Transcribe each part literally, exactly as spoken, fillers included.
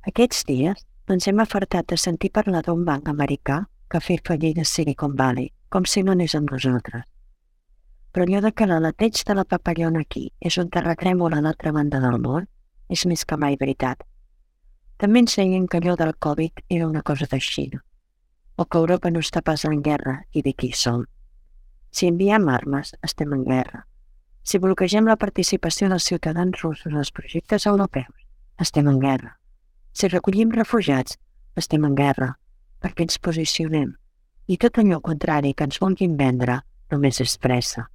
Aquests dies ens hem afartat de sentir parlar d'un banc americà que ha fet fallir de Silicon Valley, com si no anés amb nosaltres. Però allò de que l'aleteig de la papallona aquí és un terratrèmol a l'altra banda del món és més que mai veritat. També ens deien que allò del Covid era una cosa de Xina, o que Europa no està pas en guerra i d'aquí som. Si enviem armes, estem en guerra. Si bloquegem la participació dels ciutadans russos als projectes europeus, estem en guerra. Si recollim refugiats, estem en guerra, perquè ens posicionem. I tot allò contrari que ens vulguin vendre només és pressa.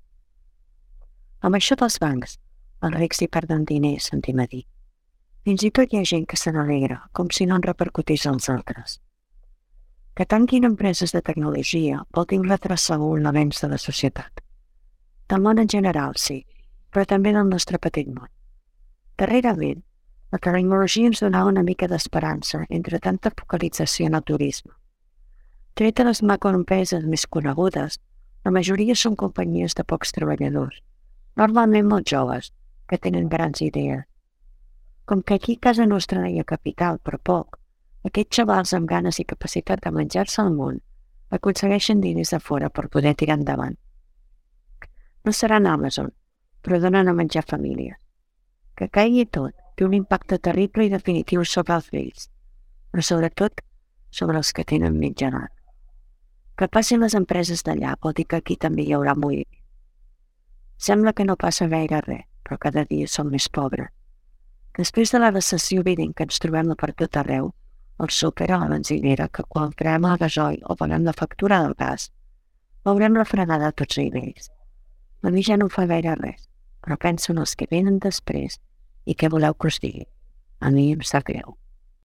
Amb això dels bancs, els rics hi perden diners, sentim a dir. Fins i tot hi ha gent que se n'alegra, com si no en repercutís als altres. Que tanquin empreses de tecnologia vol dir retrasar un l'avenç de la societat. Del món en general, sí, però també del nostre petit món. Darrerament, la tecnologia ens donava una mica d'esperança entre tanta focalització en el turisme. Tret de les macroempreses més conegudes, la majoria són companyies de pocs treballadors, normalment molt joves, que tenen grans idees. Com que aquí a casa nostra no hi ha capital, però poc, aquests xavals amb ganes i capacitat de menjar-se el món aconsegueixen diners de fora per poder tirar endavant. No seran Amazon, però donen a menjar famílies. Que caigui tot té un impacte terrible i definitiu sobre els vells, però sobretot sobre els que tenen mitjanat. Que passin les empreses d'allà vol dir que aquí també hi haurà moviment. Sembla que no passa gaire res, però cada dia som més pobres. Després de la recessió evident que ens trobem per tot arreu, el súper a la benzinera, que quan creem el gasoil o paguem la factura del gas, veurem la frenada a tots nivells. A mi ja no em fa gaire res, però penso en els que venen després i què voleu que us digui. A mi em sap greu.